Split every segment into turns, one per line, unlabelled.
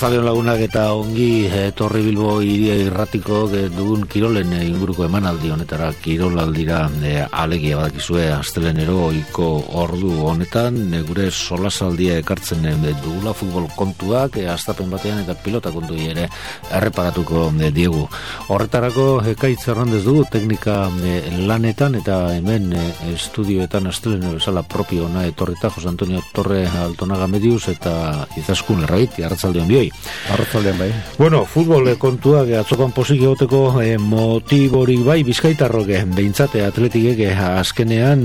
Arratzaleon lagunak eta ongi Torri Bilbo iria irratiko dugun kirolen inguruko emanaldi honetara kirolaldira alegia badakizue astelenero ohiko ordu honetan gure solasaldia ekartzen dugula futbol kontuak astapen batean eta pilota kontu ere erreparatuko diegu. Horretarako Ekaitz Hernández dugu teknika lanetan eta hemen estudioetan asteleno bezala propio ona etorrita Jose Antonio Torre Altonaga Medius eta Izaskun Errabiti. Arratsaldeon bioi.
Arratsaldeon bai.
Bueno, futbol kontuak atzokoan posik egoteko motiborik bai Bizkaitarrok behintzate atletikek azkenean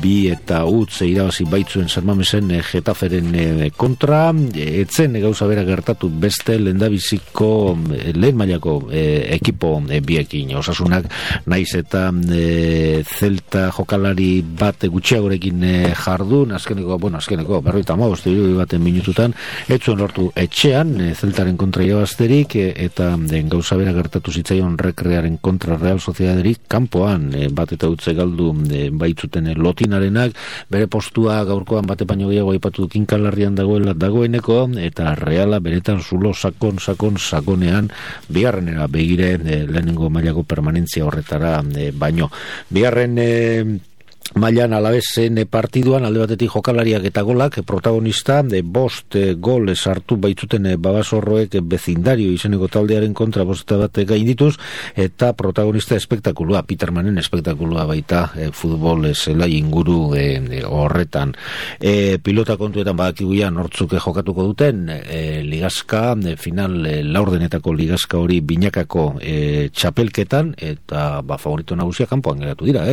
bi eta utz irabazi baitzuen Sanmamesen Getaferen kontra, etzen gauza bera gertatu beste lehendabiziko lehen mailako ekipo biekin. Osasunak naiz eta Celta jokalari bat gutxiagorekin jardun, azkeneko 55 baten minututan etzuen lortu etxean, Zeltaren kontra irabazterik, eta gauza bera gertatu zitzaion Rekrearen kontra Real Sociedaderik kanpoan, bat eta utze galdu baitzuten Lotinarenak, bere postua gaurkoan bate baino gehiago aipatu kinkalarrian dagoeneko, eta Reala beretan zulo sakonean bigarrenera begire lehenengo mailako permanentzia horretara baino. Bigarren mailan Alavesen partiduan alde batetik jokalariak eta golak protagonista bost gol sartu baitzuten Babasorroek bezindario izeneko taldearen kontra bosta bat gaindituz eta protagonista espektakulua, Petermanen espektakulua baita futbol zelai inguru horretan. Pilota kontuetan badakiguia nortzuk jokatuko duten ligazka, final laurdenetako ligazka hori binakako txapelketan eta favorito nagusia kanpoan geratu dira,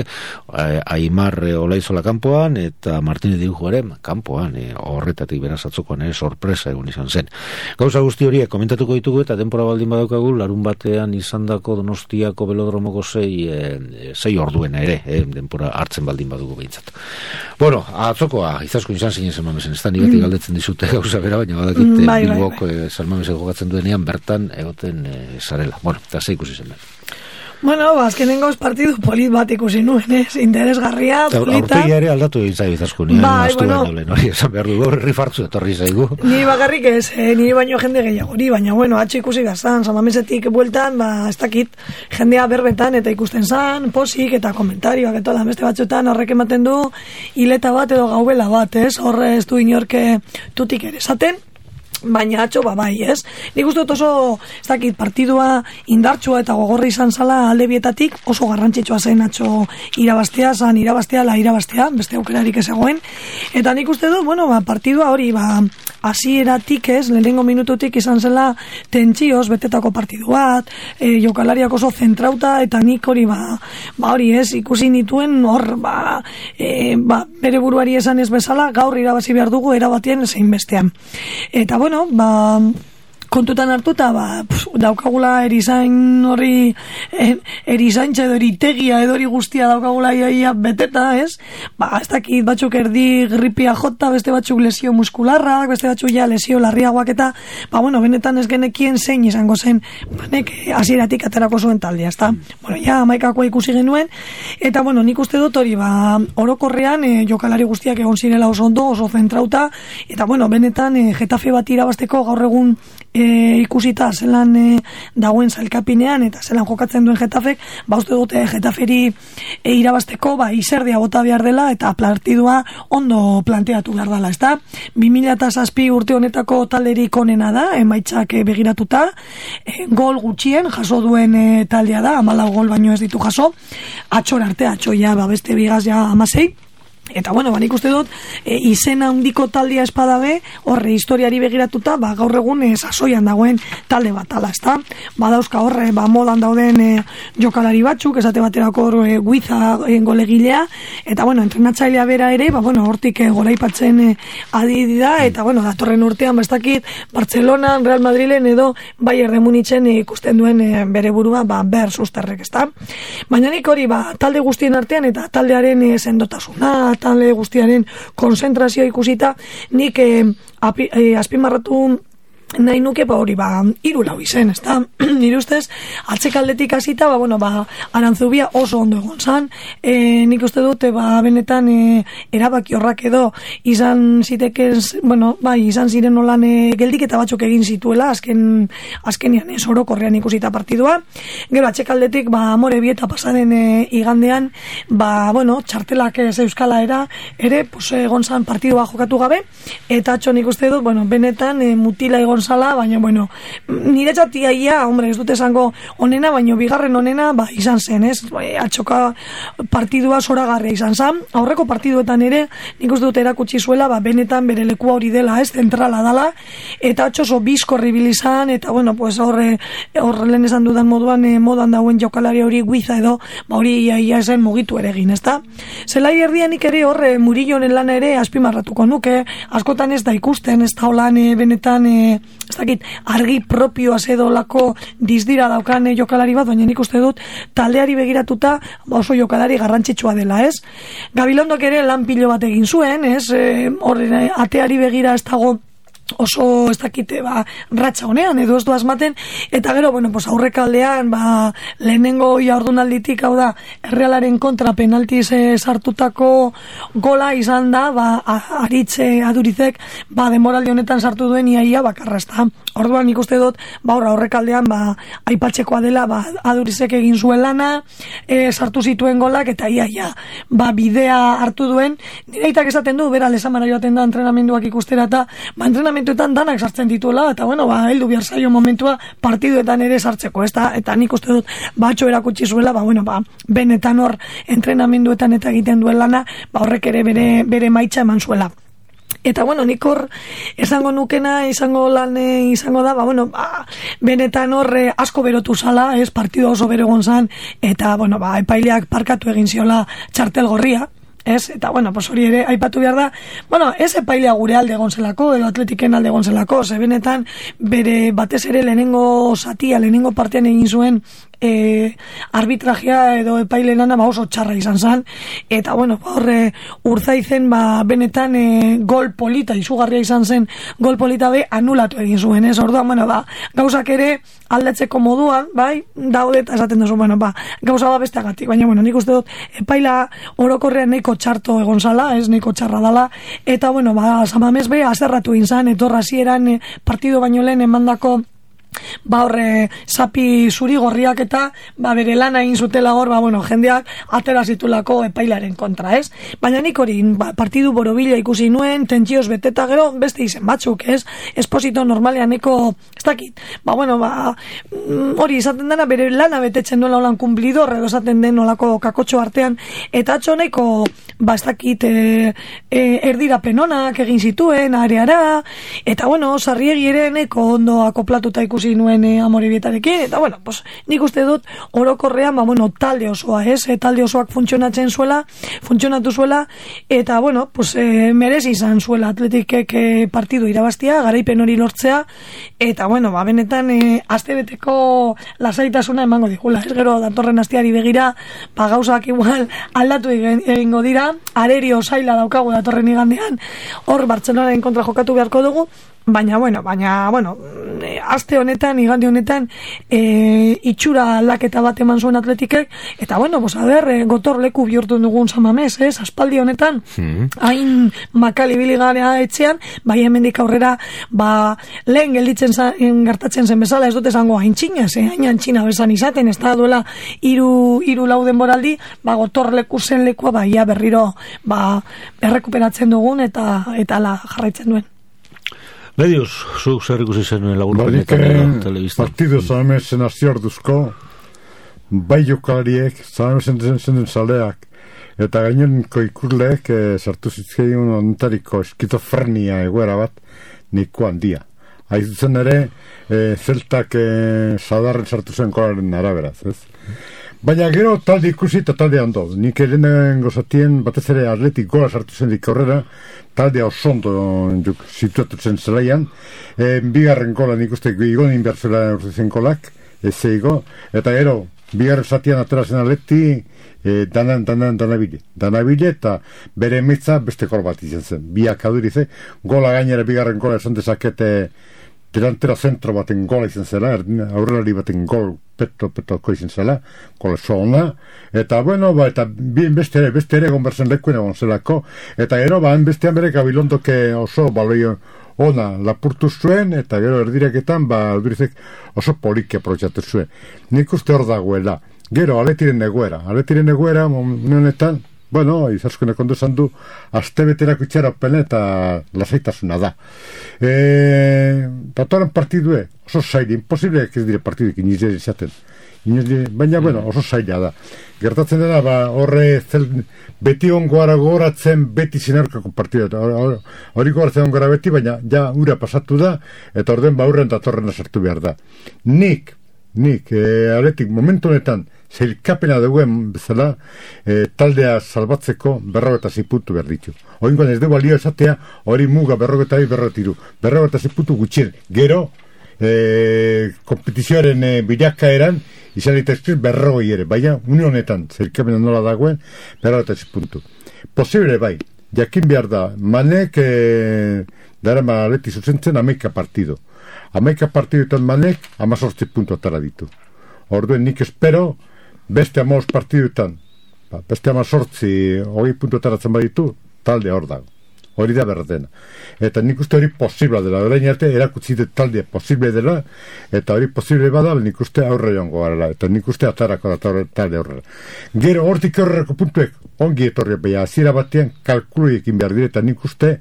Aimar Olaizola kanpoan eta Martínez Dirujuaren kanpoan, horretatik beraz atzokoan sorpresa egun izan zen. Gauza guzti horiek komentatuko ditugu eta denbora baldin badaukagu larun batean izandako Donostiako Belodromoko 6 orduena ere, denbora hartzen baldin badugu behintzat. Bueno, atzokoa Izaskun izan zinen Sanmamesen, ez da ni beti galdetzen dizute gauza bera, baina badakit Bilbok Sanmamesen jokatzen duenean bertan egoten zarela. Bueno, eta ze ikusi zen.
Bueno, azkenengoz partidu polit bat ikusi nuen, interesgarria, polita.
Aurpegia ere aldatu egin zaiz Izaskun, esan behar du, rifartzu etorri zaigu.
Ni bakarrik ez, ni baino jende gehiago, baina bueno, atxe ikusi gaztan, Sanmamesetik bueltan, ez dakit, jendea berbetan eta ikusten zan, posik eta komentarioak eta da, beste batzuetan horrek ematen du, hileta bat edo gaubela bat, horre ez du inorke tutik ere esaten, baina atxo bai, ez? Nik uste dut oso, ez dakit, partidua indartsua eta gogorra izan zala alde bietatik, oso garrantzitsua zen atxo irabaztea, beste aukerarik ez egoen, eta nik uste dut, bueno, partidua hori, hasieratik ez, lehenengo minututik izan zela tentsioz betetako partidu bat, jokalariak oso zentrauta, eta nik hori, hori ez, ikusi nituen hor, bere buruari esan ez bezala, gaur irabazi behar dugu erabatien zein bestean. Eta bueno, kontutan hartuta, daukagula erizain hori, erizaintza edo eritegia edo hori guztia daukagula iaia beteta, ez? Ez dakit batzuk erdi gripia jota, beste batzuk lesio muskularrak, beste batzuk ja lesio larriagoak eta, benetan ez genekien zein izango zen, nek hasieratik aterako zuen taldea, ezta? Bueno, ja, amaikakoa ikusi genuen, eta, nik uste dut hori, orokorrean, jokalari guztiak egon zirela oso ondo, oso zentrauta, eta, benetan, Getafe bat irabazteko gaur egun ikusita zelan dagoen zailkapinean eta zelan jokatzen duen Getafek, uste dute Getaferi irabazteko izerdia bota behar dela eta partidua ondo planteatu behar dela, ezta? 2007 urte honetako talderik onena da, emaitzak begiratuta, gol gutxien jaso duen taldea da, 14 gol baino ez ditu jaso, atxor arte, atxoia beste bigaz ja 16, eta nik uste dut izen handiko taldea espadabe horre historiari begiratuta gaur egun sasoian dagoen talde bat ala, ezta? Badauzka horre modan dauden jokalari batzuk, esate baterako Guiza golegilea, eta entrenatzailea bera ere, hortik goraipatzen adi da, eta datorren urtean ez dakit Barcelona, Real Madrilen edo Bayern de Munichen ikusten duen bere burua ber susterrek, ezta? Baina nik hori talde guztien artean eta taldearen sendotasuna, talde guztiaren konzentrazioa ikusita, nik azpimarratu nahi nuke, hori, 3-4 izen, ez da? Nire ustez, atzekaldetik hasita, Arantzubia oso ondo egon zan, nik uste dute, benetan erabaki horrak edo, izan zitekez, izan ziren nolan geldiketa batzuk egin zituela, azkenian orokorrean ikusita partidua, gero atzekaldetik, Amore Bieta pasaden igandean, txartelak ez euskala ere, egon zan partidua jokatu gabe, eta atxo nik uste dut, benetan mutila egon zala, baina, nire txatiaia, ez dute esango onena, baina bigarren onena, izan zen, ez? Atxoka partidua zoragarria izan zen, aurreko partiduetan ere, nik uste dut erakutsi zuela, benetan bere lekua hori dela, ez? Zentrala dala, eta atxoso bizkorri bilizan, eta, horre lehen esan dudan modan dauen jokalari hori guiza edo, hori ia esen mugitu ere egin, ez da? Zelai erdianik ere horre Murillonen lana ere azpimarratuko nuke, askotan ez da ikusten, ez da holan benetan, ez dakit, argi propioa zedolako dizdira daukan jokalari bat, baina nik uste dut taldeari begiratuta oso jokalari garrantzitsua dela, ez? Gabilondok ere lan pilo bat egin zuen, ez? Horren ateari begira ez dago oso ez dakite ratxa honean edo ez du asmaten, eta gero aurrekaldean lehenengo jardunalditik, hau da Errealaren kontra penaltiz sartutako gola izan da Aritze Adurizek denboraldi honetan sartu duen iaia bakarra, ez da. Orduan ikuste dut aurrekaldean aipatzekoa dela Adurizek egin zuen lana, sartu zituen golak eta iaia bidea hartu duen. Nire aitak esaten du, bera Lesamara joaten da entrenamenduak ikustera, eta entrenamenduetan danak sartzen dituela, eta heldu behar zaio momentua partiduetan ere sartzeko, ez da, eta nik uste dut batxo erakutsi zuela, benetan hor entrenamenduetan eta egiten duen lana, horrek ere bere maitza eman zuela. Eta nik hor esango nukena, izango da, benetan hor asko berotu zala, ez, partidu oso bero gonzan, eta epaileak parkatu egin ziola txartel gorria, ez, eta hori ere aipatu behar da, ez epailea gure alde gonzelako, edo Atletiken alde gonzelako, ze benetan bere batez ere lehenengo satia, lehenengo partean egin zuen arbitrajea edo epaile lana oso txarra izan zen, eta horre Urzaizen benetan gol polita, izugarria izan zen gol polita anulatu egin zuen, ez, orduan, gauzak ere aldatzeko moduan, daude, eta esaten duzu, gauza besteagatik, baina, nik uste dut epaila orokorrean nahiko txarto egon zala, ez, nahiko txarra dala, eta, Samamez azerratu egin zen, etorra hasieran partido baino lehen emandako horre zapi zuri gorriak eta bere lana egin zutela hor, jendeak atera zitulako epailaren kontra, ez? Baina nik hori partidu borobila ikusi nuen, tentsioz beteta, gero beste izen batzuk, ez? Esposito normalean neko, ez dakit, hori izaten dena bere lana betetzen duela holan kumplidor, edo esaten den olako kakotxo artean, eta atxo neko, ez dakit, erdira penonak egin zituen, areara, eta Sarriegi ere neko ondo akoplatuta ikusi nuen Amore Bietarekin, eta nik uste dut orokorrean, talde osoa, ez? Talde osoak funtzionatu zuela, eta merezi izan zuela Atletikek partidu irabaztia, garaipen hori lortzea, eta benetan astebeteko lasaitasuna emango digula, ez, gero datorren asteari begira, gauzak igual aldatu egingo dira, arerio zaila daukagu datorren igandean, hor Bartzelonaren kontra jokatu beharko dugu, baina, aste honetan, igande honetan, itxura aldaketa bat eman zuen Atletikek, eta, gotor leku bihurtu dugun Samamez, ez, aspaldi honetan, hain makali biligarea etxean, hemendik aurrera, lehen gelditzen gertatzen zen bezala, ez dut esango hain txinaz, hain antxina bezan izaten, ez da duela iru lau denboraldi, gotor leku zen lekua, ia berriro, errekuperatzen dugun, eta la jarraitzen duen.
Medios, zuk zer ikusi zenuen laburpenetan telebistan.
Partido Samamezen aziorduzko, bai jokalariek, Samamezen zen zaleak, eta gainerenko ikurleek sartu zitzkein ontariko eskizofrenia egoera bat niko handia. Aizutzen ere, zeltak sadarren sartu zen kolaren araberaz, ez? Baina gero talde ikusi eta talde hando. Nik erenden gozatien batez ere Atletik gola sartu zen dik aurrera, taldea osondo situatu zen zelaian. Bigarren gola nik uste igonin behar zela urtezen golak, ez eigo. Eta gero, bigarren zatian atera zen Atleti, danabile eta bere emitza beste gol bat izan zen. Biak Adurize, gola gainera bigarren gola esan dezakete delantera zentro baten gola izan zela, aurrelari baten gol petoko izan zela, gola zona, eta bueno, eta bien beste ere gonberzen lekuen egon zelako, eta gero, bestean bere Gabilondoke oso baloi ona lapurtu zuen, eta gero erdireketan, Aldurizek oso poliki aprobetxatu zuen. Nik uste hor dagoela. Gero, Aletiren egoera, honetan, bueno, izaskone kondo esan du, astebeterako itxaropen eta lasaitasuna da. Datoran partidue, oso zaila, imposible ez dire partiduik iniz izaten. Baina, bueno, oso zaila da. Gertatzen dena, horre beti ongoara gogoratzen, beti zinerkako partidu. Hori gogoratzen ongoara beti, baina ja ura pasatu da, eta orden baurren datorren sartu behar da. Nik, Aletik, momentu honetan, zailkapena duguen bezala, taldea salbatzeko 46 puntu behar ditu. Oingoan ez dugu balio esatea, hori muga 42, 46 puntu gutxien. Gero, kompetizioaren bilakaeran, izan ditazkiz 40 ere. Baina, une honetan, zailkapena nola dagoen, 46 puntu. Posible bai, jakin behar da, Manek, darama Aleti zuzentzen 11 partido. 11 partiduetan Manek 18 puntu atara ditu. Orduen nik espero, beste 15 partiduetan, beste 18, 20 puntu ataratzen baditu, talde hor dago. Hori da berdena. Eta nik uste hori posible dela. Orain arte erakutsi talde posible dela, eta hori posible bada, nik uste aurre joango garela. Eta nik uste atarako da talde horrela. Gero hortik horreko puntuek, ongi etorri, beha, hasiera batean kalkuluekin behar dire, eta nik uste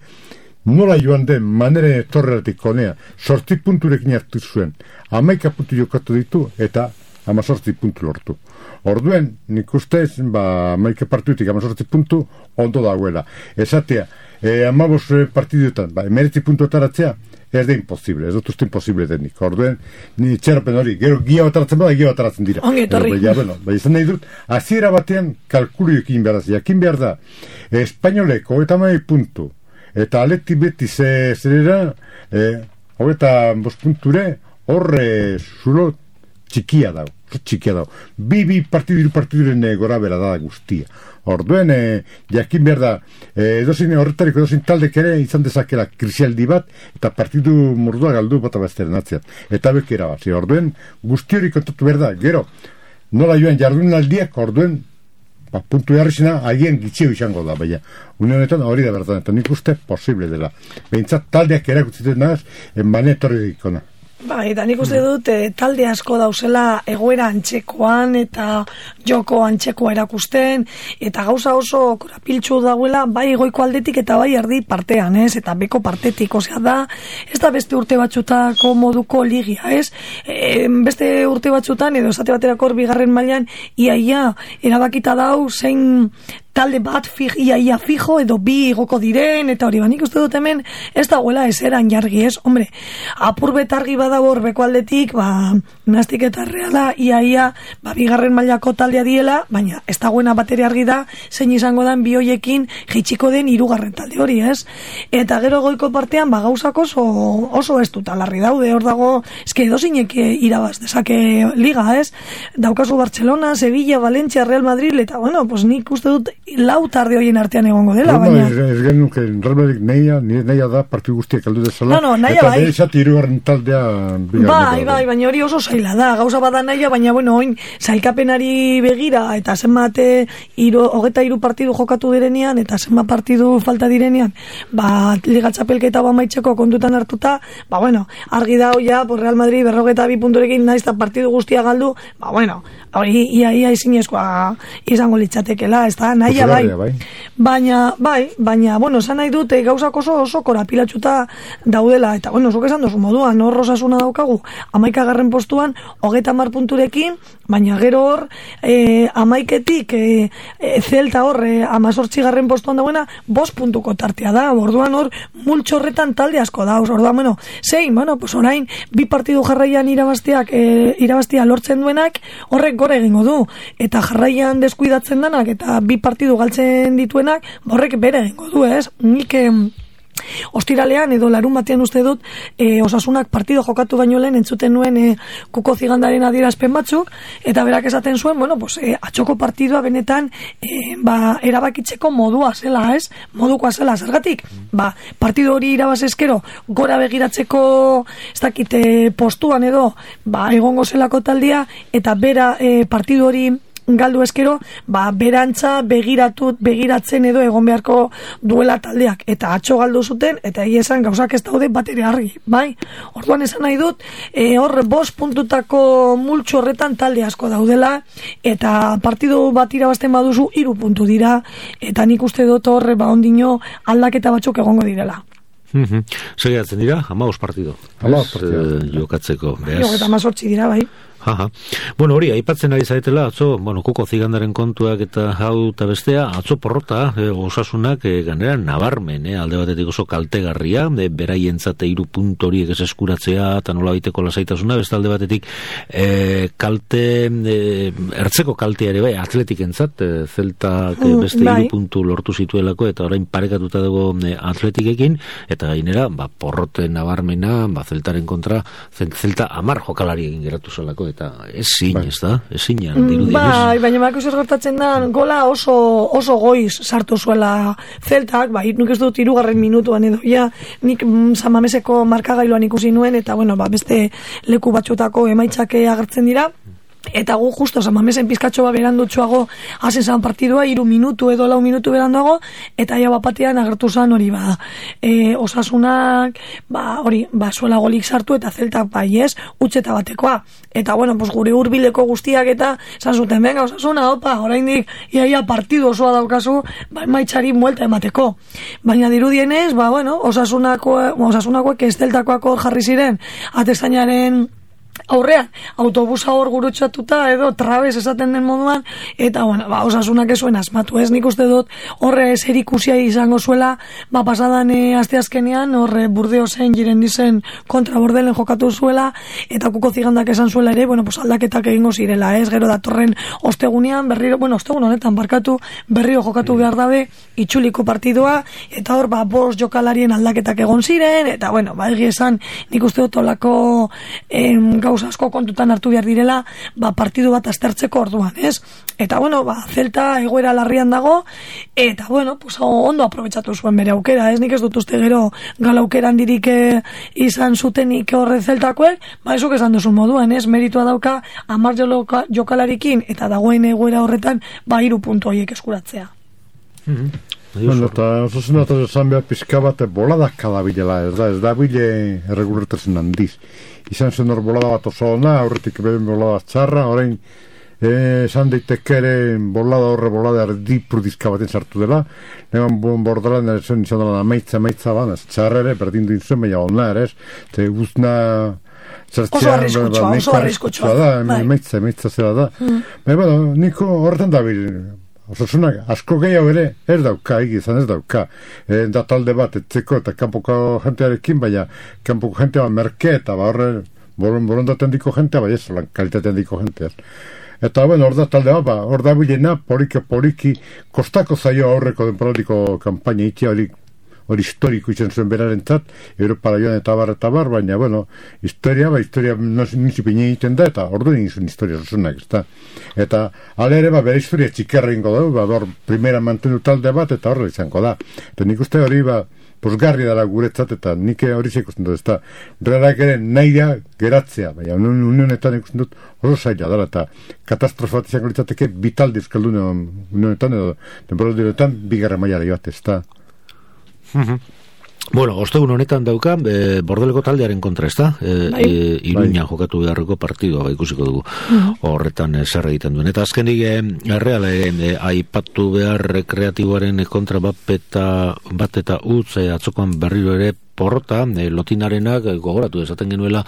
nola joan den maneren etorreratik konea, 8 punturekin hartu zuen, 11 puntu jokatu ditu, eta 18 puntu lortu. Orduen, nik ustez, 11 partidutik 18 puntu, ondo dagoela. Esatea, 15 partiduetan, 19 puntu ataratzea, ez da imposible, ez dut uste imposible denik. Orduen, ni txerapen hori, gero gia bataratzen bada, gia bataratzen dira.
Ongi etorri.
Bai, izan nahi dut, hasiera batean kalkuluekin behar da, jakin behar da, espainoleko, eta 11 puntu, eta Aleti beti zerera, eta 5 punture, horre zulo txikia dago. Bi partiduren gora bera da guztia. Orduen, jakin behar da, horretariko edozin taldek ere izan dezakela krisialdi bat, eta partidu mordua galdu bata bazteren atzean. Eta bekera bat, orduen, guzti hori kontatu behar da. Gero, nola joan jardunaldiak, orduen, puntu jarrizena, haien gitxio izango da, baina. Une honetan hori da bertan, eta nik uste posible dela. Behintzat taldeak erakutzen nahaz, mane etorri dikona.
Bai, eta nik uste dut talde asko dauzela egoera antzekoan eta joko antzekoa erakusten, eta gauza oso korapiltsu dauela bai goiko aldetik eta bai erdi partean, ez? Eta beko partetik, osea da, ez da beste urte batzutako moduko ligia, ez? Beste urte batzutan, edo esate baterako bigarren mailan, iaia erabakita dau zein talde bat ia fijo edo bi igoko diren, eta hori banik uste dut hemen ez dagoela ezeran jargi, ez? Hombre, apur betargi badago horbeko aldetik, Nastik eta Reala ia bigarren mailako taldea diela, baina ez dagoena bateri argi da zein izango den bi hoiekin jaitsiko den 3. talde hori, ez? Eta gero goiko partean gauzak oso ez dut alarri daude, hor dago eske edozinek irabaz dezake liga, ez? Daukazu Barcelona, Sevilla, Valencia, Real Madrid, eta bueno, pues nik uste dut lau tarde hoien artean egongo dela, baina...
Ez genuke, Real Madrid nahia da partidu guztiak aldu dezala,
nahia bai.
Eta behizat 3. taldea...
Bai, baina hori oso zaila da, gauza bada nahia, baina bueno, oin, zailkapenari begira, eta zenbat 23 partidu jokatu direnean, eta zenbat partidu falta direnean, Liga Txapelketa maitzeko kontutan hartuta, bueno, argi da hoia, Real Madrid 42 punturekin naizta partidu guztia galdu, bueno, hori ia izinezkoa izango litzatekela, ez da, nahia bai. Baina, bueno, esan nahi dute gauzak oso korapilatxuta daudela, eta bueno, zuk esan dozu moduan, hor Osasuna daukagu, 11. postuan, 30 punturekin, baina gero hor, 11etik Celta hor, 18. postuan dagoena, 5 puntuko tartea da, orduan hor, multxorretan talde asko da, orduan, bueno, pues orain, 2 partidu jarraian irabaztia lortzen duenak, horrek gore egingo du, eta jarraian deskuidatzen denak, eta 2 partidu galtzen dituenak, horrek bere egingo du, ez? Nik ostiralean edo larun batean uste dut Osasunak partido jokatu baino lehen entzuten nuen Kuko Zigandaren adierazpen batzuk, eta berak esaten zuen, bueno, pues, atxoko partidua benetan erabakitzeko modua zela, ez? Modukoa zela, zergatik? Partido hori irabaz eskero, gora begiratzeko ez dakite postuan edo egongo zelako taldia, eta bera partido hori galdu eskero, berantza begiratzen edo egon beharko duela taldeak, eta atxo galdu zuten, eta esan gauzak ez daude bat ere argi, bai? Orduan esan nahi dut, hor 5 puntutako multxo horretan talde asko daudela, eta partidu bat irabazten baduzu 3 puntu dira, eta nik uste dut hor ondino aldaketa batzuk egongo direla.
Segiatzen dira, 15 partido.
15 partido.
Jokatzeko.
18 dira, bai.
Bueno, hori, aipatzen ari zaretela, atzo, Kuko Zigandaren kontuak eta hau eta bestea, atzo porrota, Osasunak ganera nabarmen, alde batetik oso kaltegarria, beraientzat 3 puntu horiek ez eskuratzea, eta nola baiteko lasaitasuna, beste alde batetik kalte, ertzeko kaltea ere bai, Atletikentzat, Zeltak beste 3 puntu lortu zituelako, eta orain parekatuta dago Atletikekin, eta gainera, porrote nabarmena, Zeltaren kontra, Zelta 10 jokalari egin geratu zelako, eta ezin, ez da? Ezinan, dirudi.
Baina bako zer gertatzen da, gola oso goiz sartu zuela Zeltak, nik ez dut 3. minutuan edo, nik San Mameseko markagailuan ikusi nuen, eta beste leku batxutako emaitzak agertzen dira, eta gu justo San Mamesen pizkatxo berandutxoago hazen zan partidua, 3 minutu edo 4 minutu beranduago, eta batean agertu zan hori Osasunak hori, zuela golik sartu, eta Zeltak utxeta batekoa, eta gure hurbileko guztiak eta zan zuten, venga Osasuna, oraindik iaia partidu osoa daukazu, maitzari muelta emateko, baina dirudienez, Osasunakoek ez Zeltakoak hor jarri ziren atezainaren aurrean, autobusa hor gurutxatuta edo trabez esaten den moduan, eta Osasunak ez zuen asmatu, ez? Nik uste dut horre zerikusia izango zuela, pasadan asteazkenean horre Burdeosen Girendizen kontra Bordelen jokatu zuela, eta Kuko Zigandak esan zuela ere, aldaketak egingo zirela, ez? Gero datorren ostegunean, ostegun honetan berriro jokatu behar dabe itxuliko partidua, eta hor 5 jokalarien aldaketak egon ziren, eta egi esan, nik uste dut olako gauza asko kontutan hartu behar direla, partidu bat aztertzeko orduan, ez? Eta, Zelta egoera larrian dago, eta, ondo aprobetxatu zuen bere aukera, ez? Nik ez dut uste gero gala aukeran dirik izan zutenik horre Zeltakoek, ezuk esan duzun moduan, ez? Meritua dauka 10 jokalarikin, eta dagoen egoera horretan, 3 puntu horiek eskuratzea.
Eta Osasuna eta esan behar pizka bat boladak kadabilela, ez da bile erreguletazen handiz. Izan zen hor bolada bat oso ona, aurretik behen bolada txarra, orain esan daiteke ere bolada erdipurdizka baten sartu dela, negan bordalan izan dela maitza ban, ez txarra ere, berdindu izan, baina ona ere, ez guzna
oso arriskutsua
da, maitza zera da. Niko horretan da bil, Osasunak asko gehiago ere ez dauka, izan ez dauka. Da talde bat etzeko eta kanpoko jentearekin, baina kanpoko jentea merke eta horre borondaten diko jentea, baina ez kalitatean diko jentea. Eta hor da talde bat, hor da bilena poliki kostako zaio aurreko denporatiko kampaina itia hori historiko izan zuen berarentzat, Europara joan eta bar, baina, historia nizipine egiten da, eta ordu egin historia Osasunak, ez da. Eta, ale ere, bere historia txikerra ingo da, hor primera mantendu talde bat, eta horre izango da. Eta nik uste hori, posgarri dara guretzat, eta nik hori ikusten dut, ez da. Realak ere nahi da geratzea, baina unionetan ikusten dut oso zaila dara, eta katastrofa bat izango litzateke vitaldi euskaldun unionetan, edo temporaldiretan, 2. mailara joate, ez da.
Ostegun honetan dauka Bordeleko taldearen kontra, ez da? Iruñan jokatu beharreko partidua ikusiko dugu horretan zer egiten duen. Eta azkenik Real aipatu behar rekreatiboaren kontra bat eta utz atzokoan berriro ere porrota, Lotinarenak gogoratu esaten genuela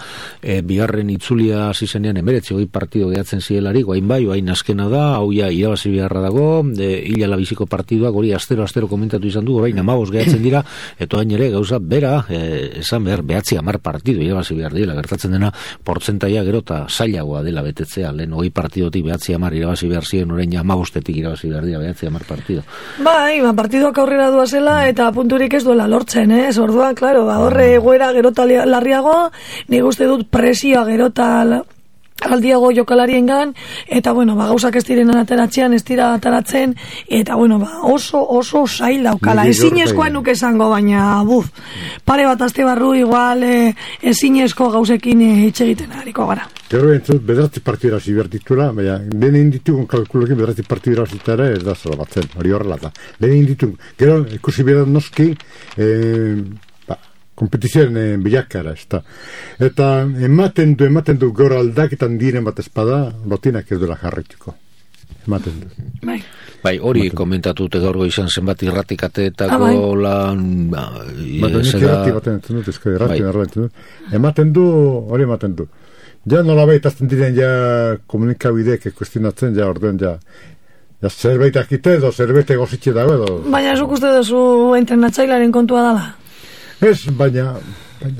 bigarren itzulia hasi zenean 19 partido gehatzen zielari, guain bai, guain askena da, hau ja irabazi beharra dago, hilala biziko partiduak hori astero komentatu izan du, orain 15 gehatzen dira, eta hain ere gauza bera, esan behar 9-10 partidu irabazi behar dira, gertatzen dena portzentaia gero eta zailagoa dela betetzea, lehen 20 partidotik 9-10 irabazi behar ziren, orain 15 irabazi behar dira 9-10 partido.
Bai, partiduak aurrera duazela eta punturik ez duela lortzen, orduan, klaro, horre egoera gerota larriago, nik uste dut presioa gerota aldiago jokalariengan, eta bueno, gauzak ez direnan ateratzean, ez dira ateratzen, eta bueno, oso zail daukala. Ezinezkoa nuke esango, baina pare bat aste barru igual ezinezko gauzekin hitz egiten hariko gara.
Gero entzut, bederatzi partidura zibertitula, baina lehen ditugun kalkulokin bederatzi partidura zitara ez da zela batzen, hori horrela da. Lehen ditugun, gero ikusi behar noski, kompetizioen bilakara, ez da. Eta ematen du gaur aldaketan diren bat espada, Lotinak ez duela jarraituko. Ematen du.
Bai, hori komentatute gaurgo izan zenbat irratikateetako lan...
Ematen du. Ja nola baitazten diren ja komunikabideek kuestionatzen, ja orduen ja zerbait akite edo zerbait egozitxe dago edo...
Baina zuk uste duzu entrenatzailaren kontua dala?
Ez, baina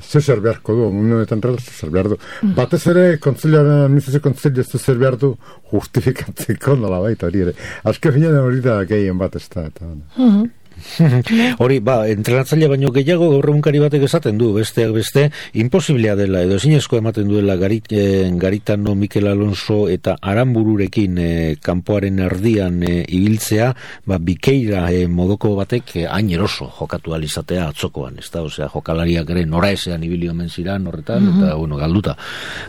zer beharko du, honetan zer behar du. Batez ere, administrazio kontzilio zer behar du justifikatzeko nola baita hori ere. Azke finean hori da gehien bat ez da.
Hori, entrenatzaile baino gehiago gaur egunkari batek esaten du, besteak beste, imposiblea dela, edo ezinezko ematen duela Garitano, Mikel Alonso eta Aranbururekin kanpoaren erdian ibiltzea, bikeira modoko batek hain eroso jokatu alizatea atzokoan, ez da, osea, jokalariak ere noraezean ibili omen ziran horretan, eta, bueno, galduta.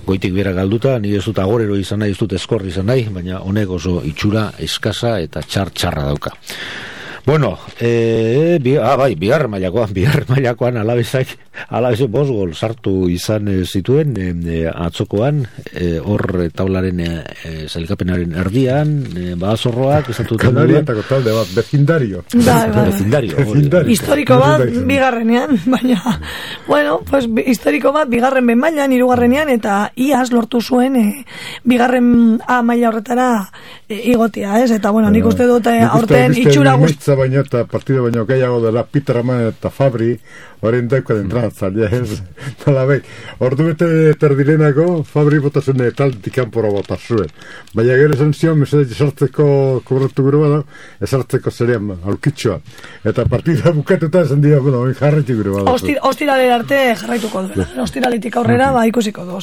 Goitik bera galduta, nire ez dut agorero izan nahi, ez dut eskor izan nahi, baina honek oso itxura eskasa eta txarra dauka. Bueno, bigarren mailakoan Alavesek 5 gol sartu izan zituen atzokoan, hor taularen sailkapenaren erdian, Badazorroak esatu duten
Kanarietako talde bat, vecindario.
Historiko bat bigarrenean, baina bueno, pues historiko bat bigarren B mailan, hirugarrenean, eta iaz lortu zuen bigarren A maila horretara igotia, ez? Eta bueno, nik uste dut aurten itxura
baino eta partido baino gehiago dela Peter Aman eta Fabri horrein daiko entrenatzailea, ez? Ordu bete terdirenako Fabri botasun taldetik kanpora bota zuen. Baina gero esan zion, mesede esartzeko kobratu gure bada, esartzeko zerean aurkitxoa. Eta partida bukatuta esan dira, bueno, jarraitu gure bada.
Ostiralera arte jarraituko duela. Ostiralitik aurrera, ikusiko du.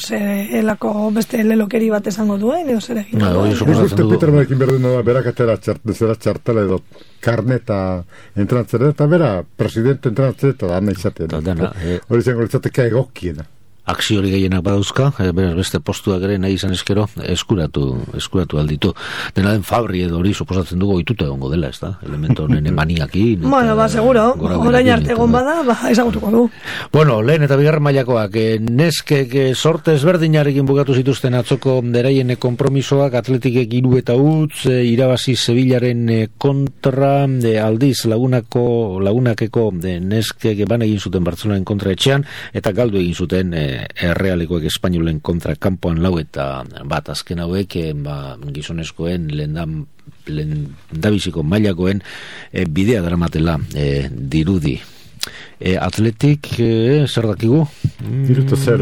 Elako beste lelokeri bat esango duen, edo zer egin.
Uste Peter Amanekin berduna da, berak atera txartela edo karneta entranatzera, eta bera, presidente entranatzera, eta da izatea. Hori zengo izateka egokiena.
Akziori gehienak badauzka, beraz beste postuak ere nahi izan eskero, eskuratu alditu. Dena den Fabri edo hori suposatzen dugu oituta egongo dela, ez da? Elemento honen emaniakin.
Bueno, seguro, orain arte egon bada, ezagutuko du.
Bueno, lehen eta bigarren mailakoak, neskek sorte ezberdinarekin bukatu zituzten atzoko deraien konpromisoak, Atletikek 3-0 irabazi Sevillaren kontra, aldiz lagunakeko neskek ban egin zuten Bartzelonaren kontra etxean, eta galdu egin zuten Errealikoek Espainolen kontra kanpoan 4 eta bat azken hauek gizonezkoen lehendabiziko mailakoen bidea daramatela dirudi. Atletik, zer dakigu?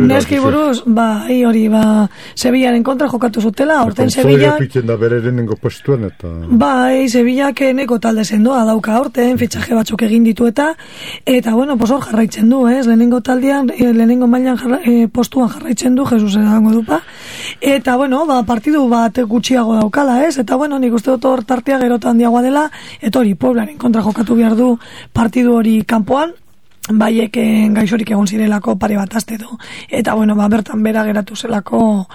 Neski buruz, hori, Sevillaren kontra jokatu zutela, horten Sevilla... Sevillak neko talde sendoa dauka horten, fitxaje batzuk egin ditu eta bueno, hor jarraitzen du, lehenengo taldean, lehenengo mailan postuan jarraitzen du, Jesus edango dupa, eta bueno, partidu bat gutxiago daukala, eta bueno, nik uste dut hor tartea gerotan handiagoa dela, eta hori, Pueblaren kontra jokatu behar du partidu hori kanpoan, baiek gaixorik egon zirelako pare bat aste du. Eta bueno, bertan bera geratu zelako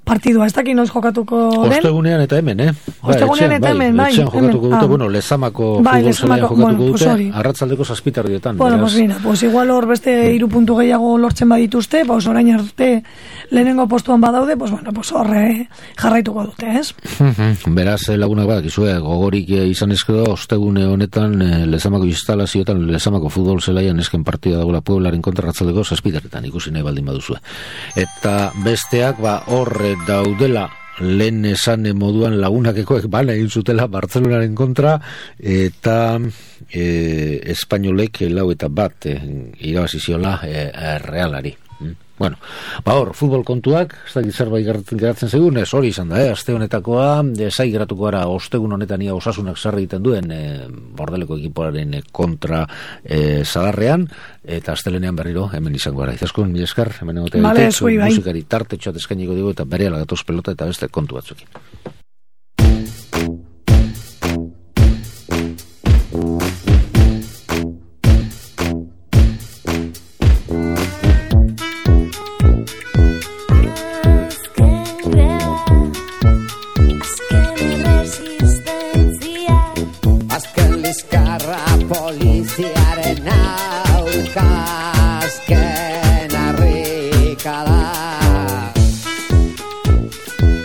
partidua, ez dakit noiz jokatuko den.
Ostegunean eta hemen,
Ostegunean eta hemen, bai.
Etxean jokatuko dute, bueno, Lezamako futbol zelaian jokatuko dute, arratsaldeko 7:00.
Bueno, pues mira, pues igual hor beste 3 puntu gehiago lortzen badituzte, pues orain arte lehenengo postuan badaude, pues bueno, pues horre jarraituko dute, ez?
Beraz, lagunak badakizue, gogorik izan ezkero, ostegune honetan Lezamako instalazioetan, Lezamako futbol zelaian esken partida dagoela Pueblaren kontra arratsaldeko 7:00 ikusi nahi baldin baduzue. Eta besteak, horre daudela lehen esan moduan lagunakekoek bana egin zutela Bartzelonaren kontra eta espainolek 4-1 irabazi ziola Realari. Bueno, hor, futbol kontuak, ez dakit zerbait geratzen zegoen, ez hori izan da, aste honetakoa, zai geratuko gara ostegun honetan ia Osasunak zer egiten duen Bordeleko ekipoaren kontra Zadarrean, eta astelenean berriro hemen izango gara. Izaskun, mila esker, hemen egote musikari tartetxoat eskainiko dugu eta berehala gatoz pelota eta beste kontu batzukin.
Poliziaren aurka azken harrikala,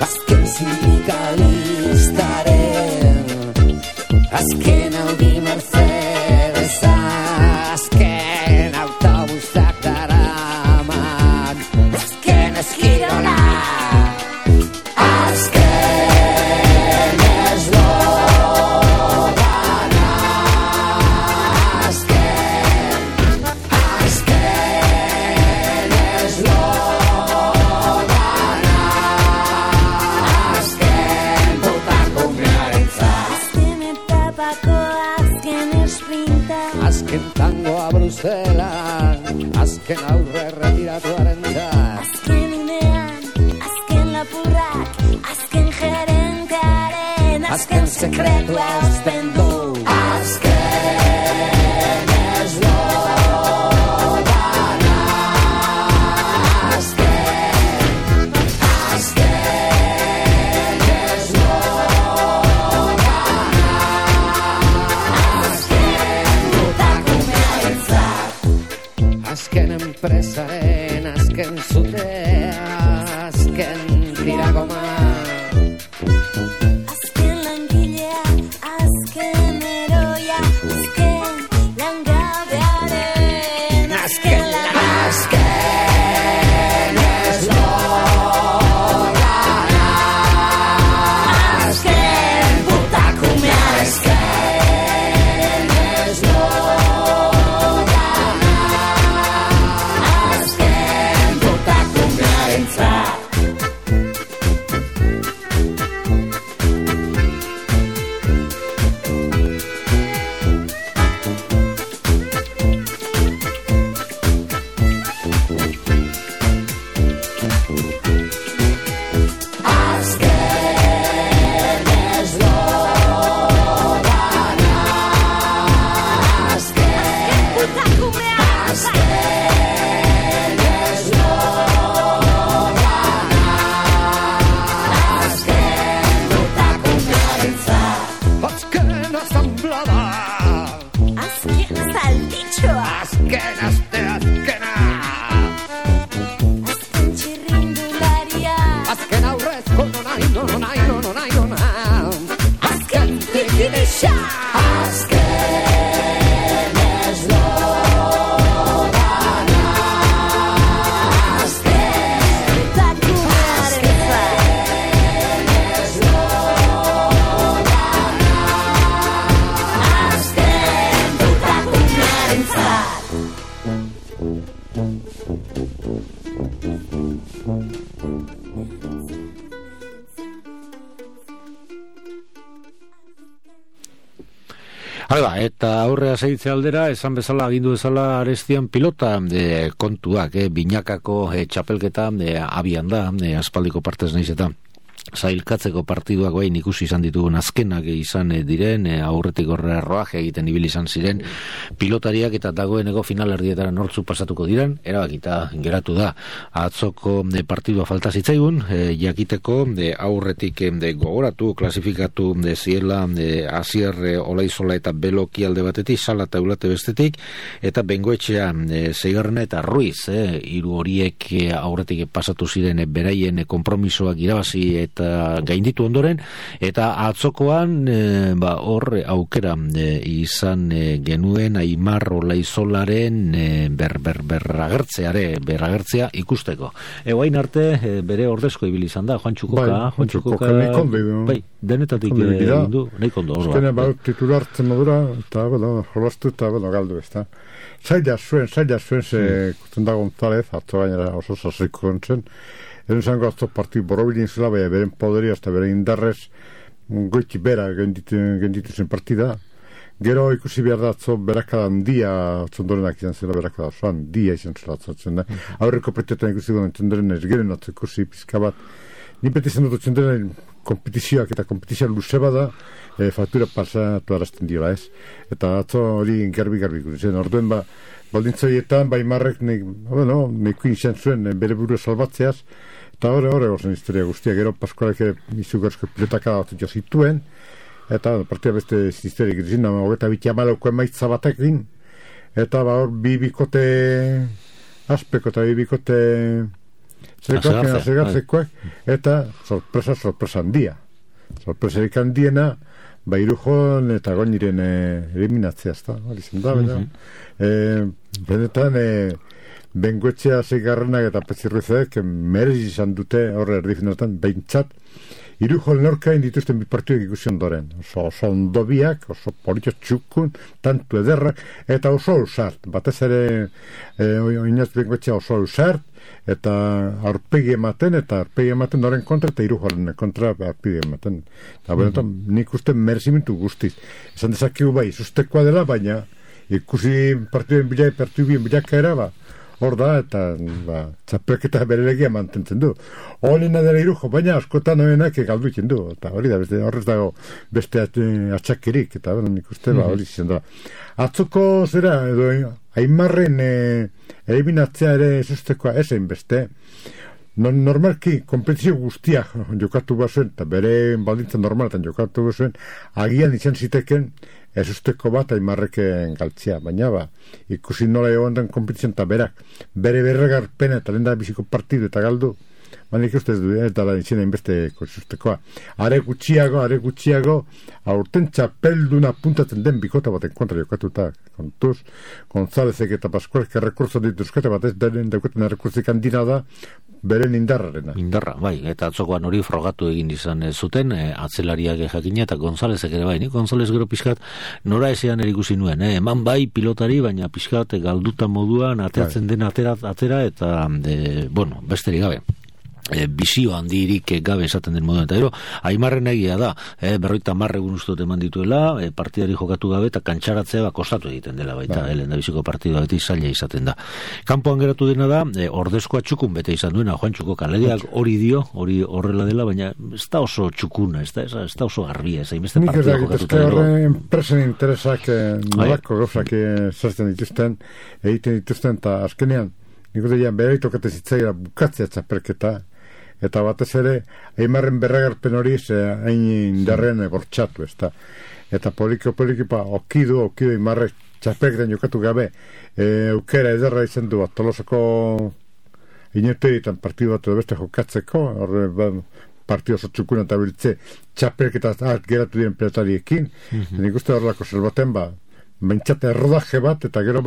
azken sindikalistaren, azken Audi Mercedesa, azken autobusak daraman, azken eskirola, azken eslogana, azken tangoa Bruselan, azken aurre retiratuaren txar,
azken unean, azken lapurrak, azken gerentearen, azken sekretua uzten du,
azken eslogana, azken eslogana, azken enpresaren, azken zutea, azken tiragoma,
azken langilea, azken eroia, azken langabearen, azken
eslogana, azken putakumea, azken eslogana, azken putakumearentzat. Azken asamblada,
azken saltitxoa,
azken azkena,
azken txirrindularia,
azken aurrezko nonai, azken trikidexa, azken eslogana, azken
putakumearentzat,
azken putakumearentzat.
Hala, eta aurrea segitze aldera, esan bezala, agindu bezala Arestian pilota kontuak, binakako txapelketa abian da, aspaldiko partez naiz eta zailkatzeko partiduak bain ikusi izan ditugun azkenak izan diren, aurretik horre roaje egiten ibili izan ziren pilotariak eta dagoeneko finalerdietara nortzu pasatuko diren, erabakita geratu da. Atzoko partidua falta zitzaigun, jakiteko aurretik gogoratu, klasifikatu ziela Asier Olaizola eta Beloki alde batetik, Sala eta Eulate bestetik, eta Bengoetxea Seigarrena eta Ruiz, hiru horiek aurretik pasatu ziren beraien konpromisoak irabazi eta gainditu ondoren, eta atzokoan hor aukera izan genuen Aimar Olaizolaren berragertzea ikusteko. Egoain arte bere ordezko ibili izan da, Juan Txukoka bai, denetatik du, nahi kondo
azkene titulartzen modura eta jolastu eta galdu ezta. Zaila zuen kusten da González, atzo gainera oso sasiko gontzen, zango atzo partidu borobilin zela, baina beren poderia eta beren indarrez goiti bera genditu zen partida. Gero ikusi behar da atzo berakada handia atzondorenak izan zela, berakada oso handia izan zela atzatzen da. Aurreko petetan ikusi guen txondoren ez geren atzo ikusi pizka bat. Ni beti zen dut txondoren kompetizioak eta kompetizioa luze bada faktura pasatu arazten diola ez. Eta atzo hori garbi ikusi zen. Orduen baldintzaietan, Aimarrek nekuin izan zuen bere burua salbatzeaz, eta horre gozen historia guztia, gero Paskualek izugarrizko pilotaka bat jo zituen, eta partia beste historiak izin, hogeta bitia malauko emaitza batekin, eta hor bikote aspeko eta bikote zergarzekoak, eta sorpresa handia. Sorpresarik handiena, Irujon eta Goñiren eliminatzea, hori zen da, benetan Bengoetxea Seigarrenak eta Pezirruizek merezi izan dute horre erdifinatan behintzat Irujon lorkain dituzten bi partiduak ikusi ondoren, oso ondobiak, oso politio txukun, tantu ederrak, eta oso ausart, batez ere oinaz Bengoetxea oso ausart, eta aurpegi ematen noren kontra eta Irujoren kontra aurpegi ematen. Eta benetan nik uste merezimentu guztiz. Esan dezakigu bai, sustekoa dela, baina ikusi partiduen bilakaera, hor da, eta txapelketa berelegia mantentzen du. Olina dela Irujo, baina askotan hoenak galdu itzen du, eta hori da, horrez dago beste atxakirik, eta nik uste hori izan da. Atzoko zera, edo Aimarren eliminatzea ere esustekoa ezein beste, normalki kompetizio guztiak jokatu bazuen, eta bere baldintza normaletan jokatu bazuen, agian izan ziteken ezusteko bat Aimarreken galtzea, baina ikusi nola egon den kompetizioan eta bere berregarpena eta lehen da biziko partidu eta galdu, nik uste du, ez dala izan hainbeste ezustekoa. Are gutxiago, aurten txapelduna puntatzen den bikota baten kontra jokatuta, kontuz, Gonzálezek eta Paskualek errekurso dituzkete batez, denen daukaten errekurzik handina da, beren indarrarena.
Indarra, bai, eta atzokoan hori frogatu egin izan zuten, atzelariak jakina eta Gonzálezek ere bai, González gero pixkat nora ezean erikusi nuen, eman bai pilotari, baina pixkat galduta moduan ateratzen den atera, eta, besterik gabe. Bizio handirik gabe esaten den moduan, eta gero Aimarren egia da, 50 egun ustot eman dituela, partidari jokatu gabe eta kantxaratzea kostatu egiten dela baita, lehen da biziko partidua beti zaila izaten da. Kanpoan geratu dena da, ordezkoa txukun bete izan duena, Juan Txukoka legeak hori dio, hori horrela dela, baina ez da oso txukuna, ez da oso garbia, ez hainbeste partida jokatuta.
Nik ez enpresen interesak nolako gauzak zertzen dituzten, egiten dituzten, eta azkenean, nik uste dian behar itokate zitzaira bukatzea txapelketa, eta batez ere, Aimarren berragarpen hori hain indarrean bortxatu, eta poliki okidu Aimarrek txapelketan jokatu gabe, aukera ederra izan du bat, Tolosako inoteritan partidu bat edo beste jokatzeko, partidu oso txukuna eta biltze txapelketa geratu diren pelotariekin, nik uste horrelako zelbaten bentsate errodaje bat, eta gero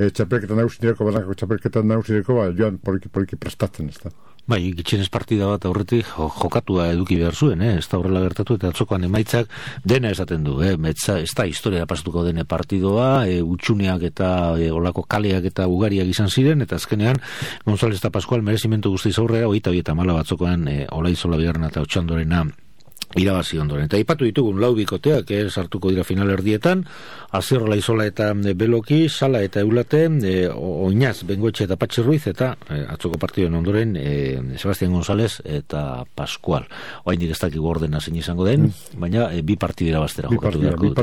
txapelketan nausireko joan poliki prestatzen, ez da.
Bai, gitxenez partida bat aurretik jokatua eduki behar zuen, ez da horrela gertatu, eta atzokoan emaitzak dena esaten du, ez da historia pasatuko dene partidoa, utxuneak eta olako kaleak eta ugariak izan ziren, eta azkenean González eta Pascual merezimentu guztiz aurrera, 24 batzokoan Olaizola bigarrena eta Otxandorena irabazi ondoren. Eta ipatu ditugun lau bikoteak sartuko dira finalerdietan, Azierrola Izola eta Beloki, Sala eta Eulate, Oinaz, Bengoetxe eta Patxi Ruiz, eta atzoko partidoen ondoren Sebastián González eta Pascual. Oraindik ez dakigu ordena zein izango den, baina bi partida irabaztera jokatu beharko.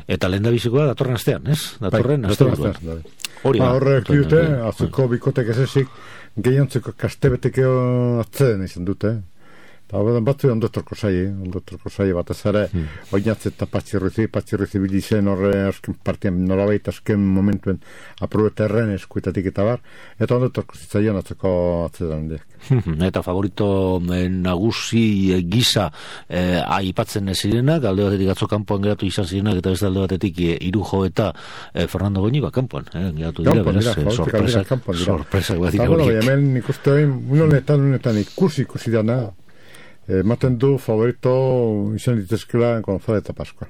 Eta lehendabizikoa datorren astean, ez? Datorren astean.
Horrek dute, azuko bikotek ezezik, gehiantzeko kastebetekeo atzeden izan dute, batzu ondotorko zai batez ere, Oinatz eta Patxi Ruizi bilizen horre asken partian norabait asken momentuen aprobeta erren eskuetatik eta bar, eta ondotorko zitzaion atzeko atzedan diak.
Eta favorito nagusi gisa aipatzen zirenak, alde batetik atzo kanpoan geratu izan zirenak, eta beste alde batetik Irujo eta Fernando Goñiba kanpoan, geratu dira, beraz, sorpresak bat dira horiek.
Hemen ikuste unetan ikusi dana, ematen du favorito izan ditezkela González eta Pascual.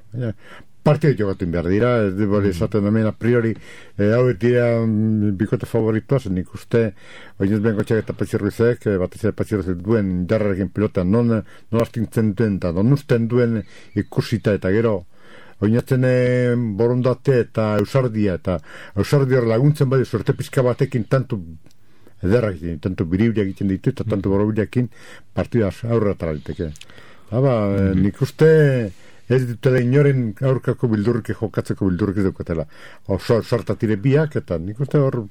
Partida jokatu behar dira, ez dira esaten hemen a priori hau dira bikote favoritoa, zen ikuste Oinez Bengoetxeak eta Patxi Ruizek, batez ere Patxi Ruizek duen indarrarekin pilota, non astintzen duen eta non usten duen ikusita eta gero Oinatzen borondate eta eusardia laguntzen badi suerte pizka batekin tantu ederrak egiten, tanto biribilak egiten ditu eta tanto borobilakin partida aurra taraliteke. Nik uste ez dutela inoren aurkako bildurrik jokatzeko bildurrik dukatela. Sortatire biak eta nik uste hor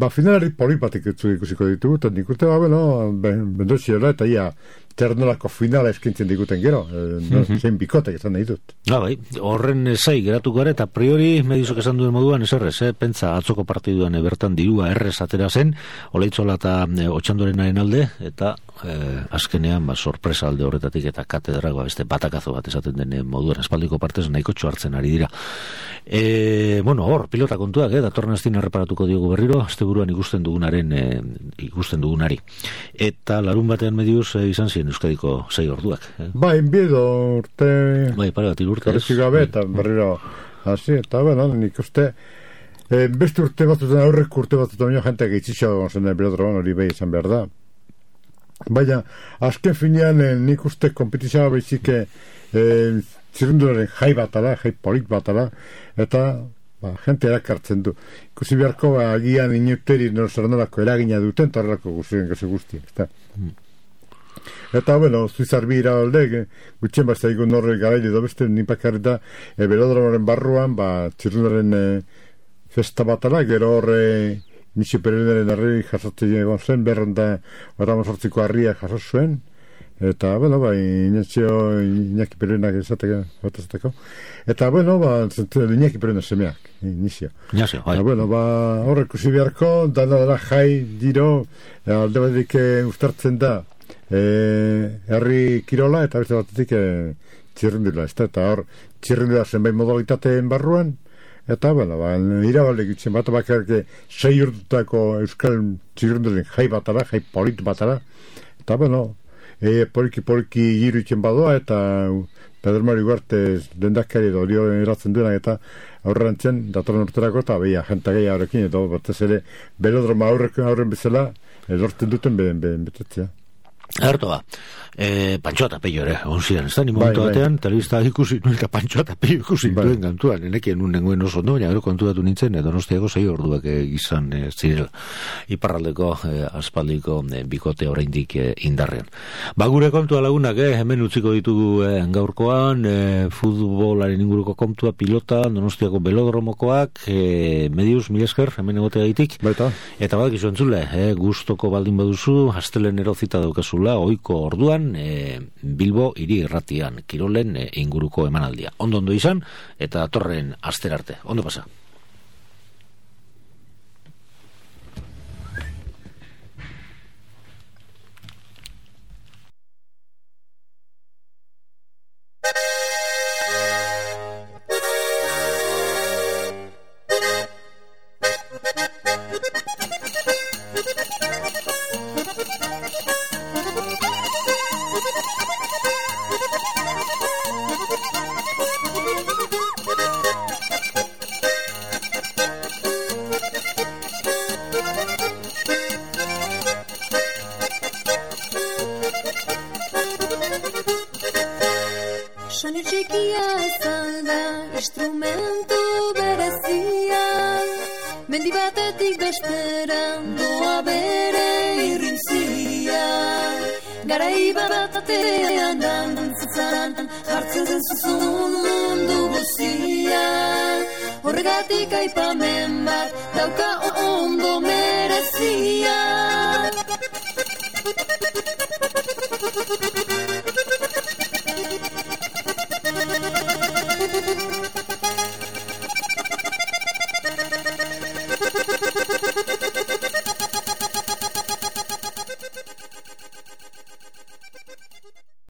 finalari polit batek ikusiko ditugu eta nik uste bendotxiola eta ia ternolako finala eskintzen diguten gero, zein bikotek esan nahi dut.
Horren zai geratuko gara eta priori medizok esan duen moduan eserrez, pentsa atzoko partiduan bertan dirua errez atera zen, Olaitzola eta Otxandorenaren alde, eta azkenean sorpresa alde horretatik eta katedragoa beste batakazo bat esaten den moduan espaldiko partez nahiko txoartzen ari dira. Hor, pilota kontuak, datorren astien erreparatuko diogu berriro, asteburuan ikusten dugunari. Eta larun batean mediuz izan ziren Euskadiko 6 orduak.
Enbiedo urte...
Pare bat urte.
Karretxik gabe eta berriro hasi, eta nik uste beste urte batzutan, aurrek urte batzutan jenteak eitzitxo gonzen belodroan hori behi izan behar da. Baina, azken finean nik uste kompetizioa behizik zirrundularen jai batara, jai polit batara, eta jente erakartzen du. Ikusi beharko agian inuteri norzarnolako eragina duten, eta horrelako guztien. Eta, Zuizarbi iralde, gutxen bat zaigun horre garaile dobeste nipakarri da, belodromoren barruan, txirrundaren festa batala, gero horre Nixi Perenaren arri jasotzen egon zen, berranda oramozortziko harria jasot zuen, eta, Iñaki Perenak esateko, eta, Iñaki Perenak semeak, Inizio. Horrek usi beharko, dana jai diro, alde batetik ustartzen da, herri kirola eta beste batetik txirrindula, eta hor txirrindula zenbait modalitateen barruan, eta irabalde gitzen bat bakarrik 6 urtutako euskal txirrindulen jai batara, jai polit batara, eta poliki giru itzen badoa, eta Pedro Mari Ugarte dendakari dorio eratzen duenak eta aurrantzen datorren urterako eta jenta gehi horrekin, eta batez ere belodroma aurren bezala lortzen duten betetzea.
Erto Pantxo eta Peio ere, onzian, ez da, ni momentu batean, telebista ikusi nuen eta Pantxo eta Peio ikusi duen kantuan, enekien nun nengoen oso ondo, baina gero kontutatu nintzen, Donostiako 6 orduak gizan zirela, iparraldeko aspaldiko bikote oraindik indarrean. Gure kontua lagunak, hemen utziko ditugu gaurkoan, futbolaren inguruko kontua, pilota, Donostiako belodromokoak, mediuz, mila esker, hemen egotea gaitik, eta badak izo entzule, gustoko baldin baduzu, astelenero zita daukazula, ohiko orduan, Bilbo hiri irratian kirolen inguruko emanaldia. Ondo izan eta datorren aster arte. Ondo pasa.
instrumentu berezia, mendi batetik besteran doa bere irrintzia. Garai batean dantzatzen jartzen zen zuzun mundu guzia. Horregatik aipamen bat dauka ondo merezia.